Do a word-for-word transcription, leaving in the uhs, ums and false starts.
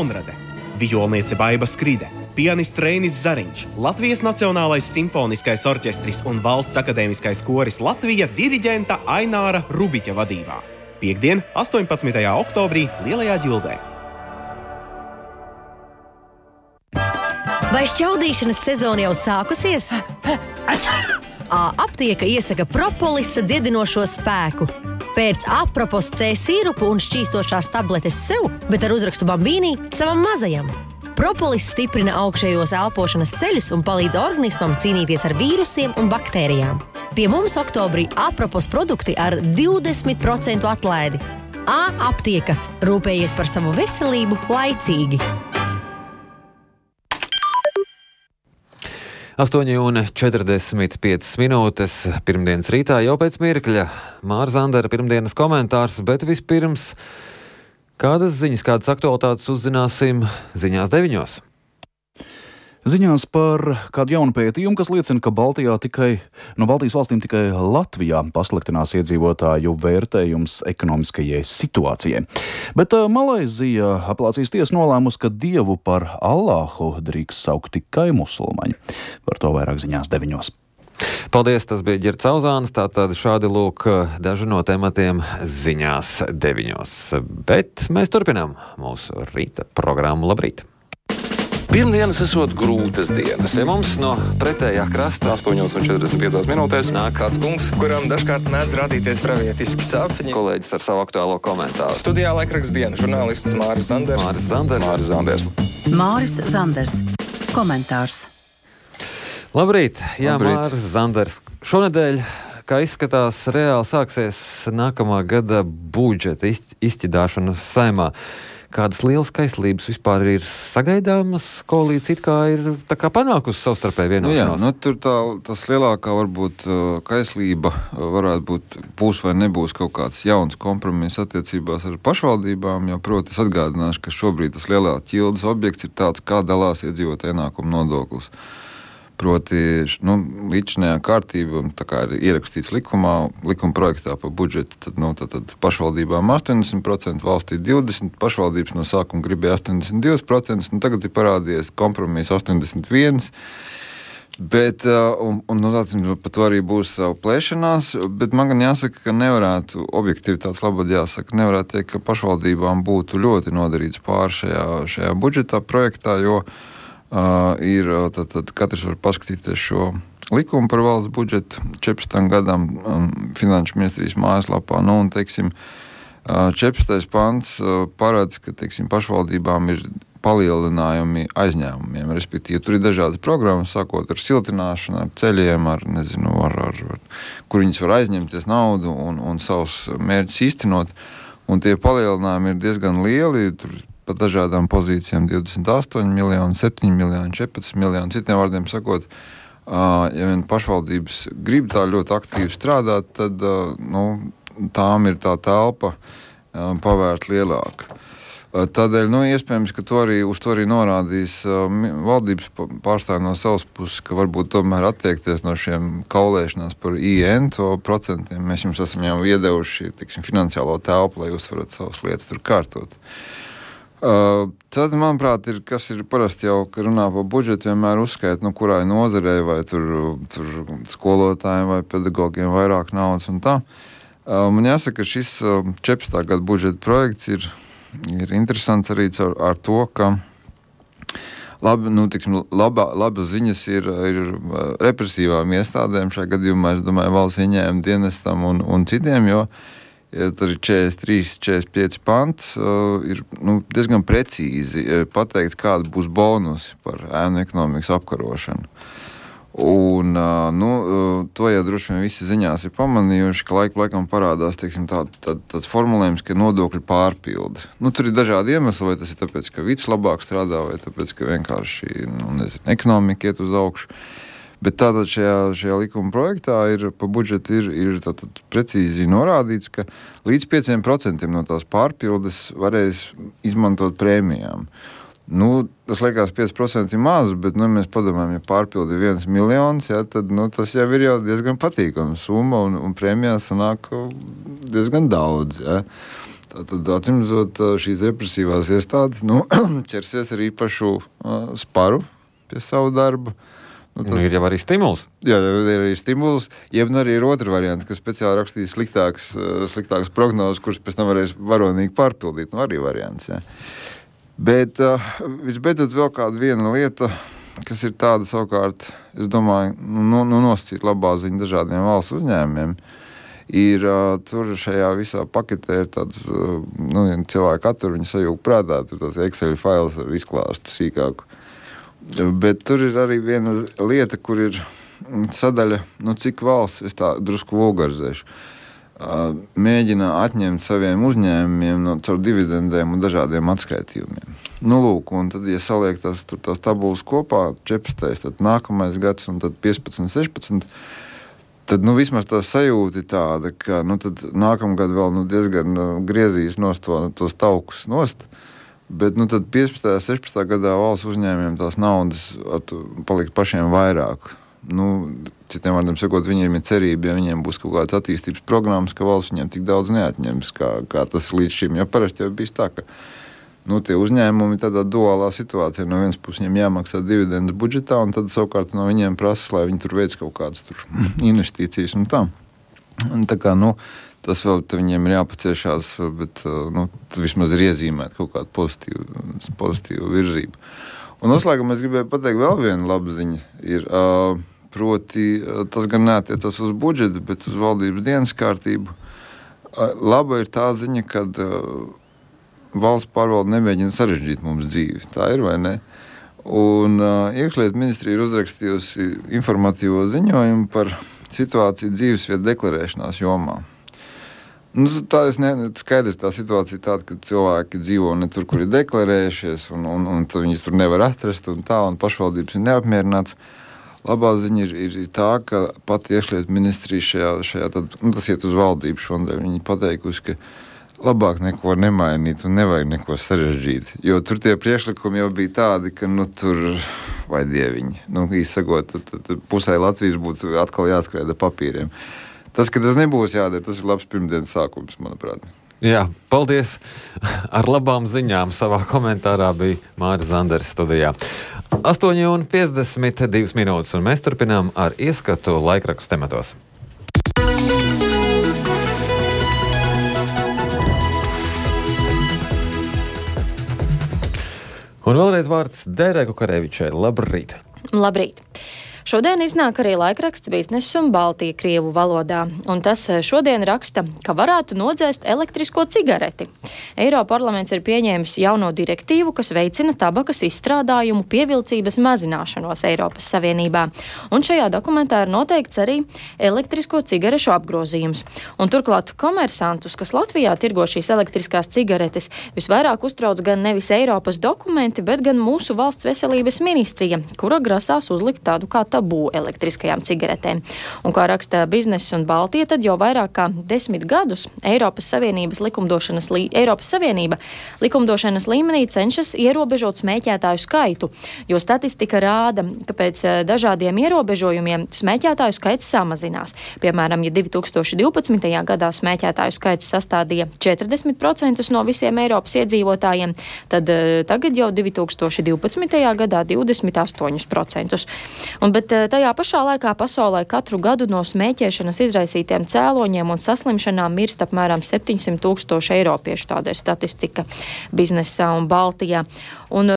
Konrade, vijolniece Baiba Skride, pianists Reinis Zariņš, Latvijas Nacionālais simfoniskais orķestris un Valsts akadēmiskais koris Latvija diriģenta Aināra Rubiķa vadībā. Piektdien, astoņpadsmitajā oktobrī Lielajā Ģildē. Vai šķaudīšanas sezona jau sākusies? Aptieka iesaka propolisa dziedinošo spēku. Pēc Apropos C sīrupu un šķīstošās tabletes sev, bet ar uzrakstu Bambīnī savam mazajam. Propolis stiprina augšējos elpošanas ceļus un palīdz organismam cīnīties ar vīrusiem un baktērijām. Pie mums oktobrī Apropos produkti ar divdesmit procentu atlaidi. Aptieka – rūpējies par savu veselību laicīgi. astoņi un četrdesmit piecas minūtes pirmdienas rītā jau pēc mirkļa. Māra Zandera pirmdienas komentārs, bet vispirms kādas ziņas, kādas aktualitātes uzzināsim ziņās deviņos. Ziņās par kādu jaunu pētījumu, kas liecina, ka Baltijā tikai, no Baltijas valstīm tikai Latvijā pasliktinās iedzīvotāju vērtējums ekonomiskajai situācijai. Bet uh, Malaizija apelācijas tiesa nolēmusi, ka Dievu par Allāhu drīkst saukt tikai musulmaņi. Par to vairāk ziņās deviņos. Paldies, tas bija Ģirds Auzāns, tātad šādi lūk daži no tematiem ziņās deviņos. Bet mēs turpinām mūsu rīta programmu. Labrīt! Pirmdienas esot grūtas dienas. Ja mums no pretējā krasta astoņi un četrdesmit piecas minūtēs nāk kāds kungs, kuram dažkārt mēdz radīties pravietiski sapņi. Kolēģis ar savu aktuālo komentāru. Studijā laikraksts diena, žurnālists Māris Zanders. Māris Zanders. Māris Zanders. Māris Zanders. Komentārs. Labrīt, jā, Labrīt. Māris Zanders. Šonedēļ, kā izskatās, reāli sāksies nākamā gada budžeta izķidāšana Saeimā. Kādas lielas kaislības vispār ir sagaidāmas? Koalīcija it kā ir tā kā panākusi savstarpēju vienošanos. Nu jā, nu tur tā, tas lielākā varbūt kaislība varētu būt, būs vai nebūs kaut kāds jauns kompromiss attiecībās ar pašvaldībām, jo, proti, es atgādināšu, ka šobrīd tas lielā ķildes objekts ir tāds, kā dalās iedzīvotāju ienākumu nodoklis. Proti, nu, līdzinājā kārtība, un tā kā ir ierakstīts likumā, likuma projektā par budžetu, tad, nu, tad, tad pašvaldībām astoņdesmit procenti, valstī divdesmit procenti, pašvaldības no sākuma gribēja astoņdesmit divi procenti, un tagad ir parādījies kompromiss astoņdesmit viens procents, bet, un, un nu, tāds, par to arī būs savu plēšanās, bet man gan jāsaka, ka nevarētu, objektivitātes labad jāsaka, nevarētu teikt, ka pašvaldībām būtu ļoti nodarīts pār šajā, šajā budžetā projektā, jo Uh, ir, tad, tad katrs var paskatīties šo likumu par valsts budžetu četrdesmitam gadam um, Finanšu ministrijas mājaslapā. Nu, un, teiksim, uh, četrdesmitais pants uh, paredz, ka, teiksim, pašvaldībām ir palielinājumi aizņēmumiem, respektīvi, tur ir dažādas programmas, sākot ar siltināšanu, ar ceļiem, ar, nezinu, ar, ar, ar, kur viņas var aizņemties naudu un, un savus mērķus īstenot, un tie palielinājumi ir diezgan lieli, tur pa dažādām pozīcijām divdesmit astoņi miljoni, septiņi miljoni, četrpadsmit miljoni. Citiem vārdiem sakot, ja vien pašvaldības grib tā ļoti aktīvi strādāt, tad nu, tām ir tā telpa pavērt lielāka. Tādēļ, nu, iespējams, ka to arī, uz to arī norādīs valdības pārstāvji no savas puses, ka varbūt tomēr attiekties no šiem kaulēšanās par I N to procentiem. Mēs jums esam jau iedevuši, tiksim, finansiālo telpu, lai jūs varat savas lietas tur kārtot. Uh, tad, manuprāt, ir, kas ir parasti jau, ka runā par budžetu, vienmēr uzskaita, nu, kurai nozarei, vai tur, tur skolotājiem vai pedagogiem vairāk naudas un tā. Uh, man jāsaka, ka šis uh, četrdesmitā gada budžeta projekts ir, ir interesants arī ar, ar to, ka labi, nu, tiksim, labā, labas ziņas ir, ir represīvām iestādēm, šajā gadījumā, es domāju, valsts ieņēmuma dienestam un, un citiem, jo ja tur ir četrdesmit trīs, četrdesmit pieci pants, uh, ir nu, diezgan precīzi uh, pateikts, kāda būs bonusi par ēnu ekonomikas apkarošanu. Un, uh, nu, uh, to jau droši vien visi ziņās ir pamanījuši, ka laiku laikam parādās, teiksim, tā, tā, tāds formulējums, ka nodokļu pārpildi. Nu, tur ir dažādi iemesli, vai tas ir tāpēc, ka vids labāk strādā, vai tāpēc, ka vienkārši, nu, nezinu, ekonomika iet uz augšu. Bet tātad šajā, šajā likuma projektā ir pa budžetu ir, ir tātad precīzi norādīts, ka līdz pieciem procentiem no tās pārpildes varēs izmantot prēmijām. Nu, tas liekas pieci procenti maz, bet, nu, mēs padomājam, ja pārpildi viens miljons, ja, tad, nu, tas jau ir jau diezgan patīkama summa un, un prēmijās sanāk diezgan daudz, ja. Tad, atcīmredzot, šīs represīvās iestādes nu, ķersies ar īpašu uh, sparu pie savu darbu. Nu, tas... Ir jau arī stimuls. Jā, ir arī stimuls. Jeb arī ir otra variants, kas speciāli rakstīs sliktākas, sliktākas prognozes, kuras pēc tam varēs varonīgi pārpildīt. Nu, arī variants, jā. Bet uh, visbeidzot vēl kāda viena lieta, kas ir tāda savukārt, es domāju, nu, nu nosacīt labā ziņa dažādiem valsts uzņēmumiem, ir uh, tur šajā visā paketē ir tāds, uh, nu, cilvēki attur, viņi sajūg prātā, tur tās Excel fails ar izklāstu sīkāku. Bet tur ir arī viena lieta, kur ir sadaļa, nu cik valsts, es tā drusku vulgarizēšu, mēģina atņemt saviem uzņēmumiem no caur dividendēm un dažādiem atskaitījumiem. Nu lūk, un tad, ja saliek tās, tur tās tabulas kopā, četrpadsmit, tad nākamais gads un tad piecpadsmit, sešpadsmit, tad nu vismaz tā sajūta ir tāda, ka nu tad nākamgad vēl nu diezgan griezīs nost to, tos taukus nost. Bet nu, tad piecpadsmitajā, sešpadsmitajā gadā valsts uzņēmumiem tās naudas palikt pašiem vairāk. Nu, citiem vārdiem sakot, viņiem ir cerība, ja viņiem būs kaut kādas attīstības programmas, ka valsts viņiem tik daudz neatņems, kā, kā tas līdz šim. Jo parasti jau bijis tā, ka nu, tie uzņēmumi tādā duālā situācijā. No vienas puses viņiem jāmaksā dividendes budžetā, un tad savukārt no viņiem prasa, lai viņi tur veic kaut kādas tur investīcijas un tā. Un tā kā, nu, tas vēl viņiem ir jāpaciešās, bet nu, vismaz ir iezīmēt kaut kādu pozitīvu, pozitīvu virzību. Un noslēgumā es gribēju pateikt vēl vienu labu ziņu. Ir, uh, proti, tas gan neatiecas uz budžetu, bet uz valdības dienas kārtību. Uh, laba ir tā ziņa, kad uh, valsts pārvalde nemēģina sarežģīt mums dzīvi. Tā ir vai ne? Un uh, iekšlietu ministrija ir uzrakstījusi informatīvo ziņojumu par situāciju dzīvesvietu deklarēšanās jomā. Nu, tā ir ne, skaidrs, tā situācija tāda, ka cilvēki dzīvo ne tur, kur ir deklarējušies, un, un, un viņus tur nevar atrast, un tā, un pašvaldības ir neapmierināts. Labā ziņa ir, ir, ir tā, ka pati iekšlietu ministrija šajā, šajā tad, nu, tas iet uz valdību šodien, viņi pateikusi, ka labāk neko nemainīt un nevajag neko sarežģīt, jo tur tie priekšlikumi jau bija tādi, ka, nu, tur, vai dieviņi, nu, īsakot, tad, tad, tad pusē Latvijas būtu atkal jāskrēda papīriem. Tas, ka tas nebūs jādara, tas ir labs pirmdienas sākums, manuprāt. Jā, paldies. Ar labām ziņām savā komentārā bija Māris Zanders studijā. astoņi un piecdesmit divas minūtes, un mēs turpinām ar ieskatu laikrakstu tematos. Un vēlreiz vārds Dairai Kukarevičai. Labrīt! Labrīt! Šodien iznāk arī laikraksts Biznes un Baltija krievu valodā, un tas šodien raksta, ka varētu nodzēst elektrisko cigareti. Eiroparlaments ir pieņēmis jauno direktīvu, kas veicina tabakas izstrādājumu pievilcības mazināšanos Eiropas Savienībā, un šajā dokumentā ir noteikts arī elektrisko cigarešu apgrozījums. Un turklāt komersantus, kas Latvijā tirgo šīs elektriskās cigaretes, visvairāk uztrauc gan nevis Eiropas dokumenti, bet gan mūsu valsts veselības ministrija, kura grasās uzlikt tādu kā tabū elektriskajām cigaretēm. Un kā raksta Biznes un Baltija, tad jau vairāk kā desmit gadus Eiropas Savienības likumdošanas, lī, Eiropas Savienība likumdošanas līmenī cenšas ierobežot smēķētāju skaitu, jo statistika rāda, ka pēc dažādiem ierobežojumiem smēķētāju skaits samazinās. Piemēram, ja divi tūkstoši divpadsmitajā gadā smēķētāju skaits sastādīja četrdesmit procentus no visiem Eiropas iedzīvotājiem, tad tagad jau divi tūkstoši divpadsmitajā gadā divdesmit astoņi procentus. Un, bet tajā pašā laikā pasaulē katru gadu no smēķēšanas izraisītiem cēloņiem un saslimšanām mirst apmēram septiņsimt tūkstoši eiropiešu, tāda ir statistika Biznesā un Baltijā. Un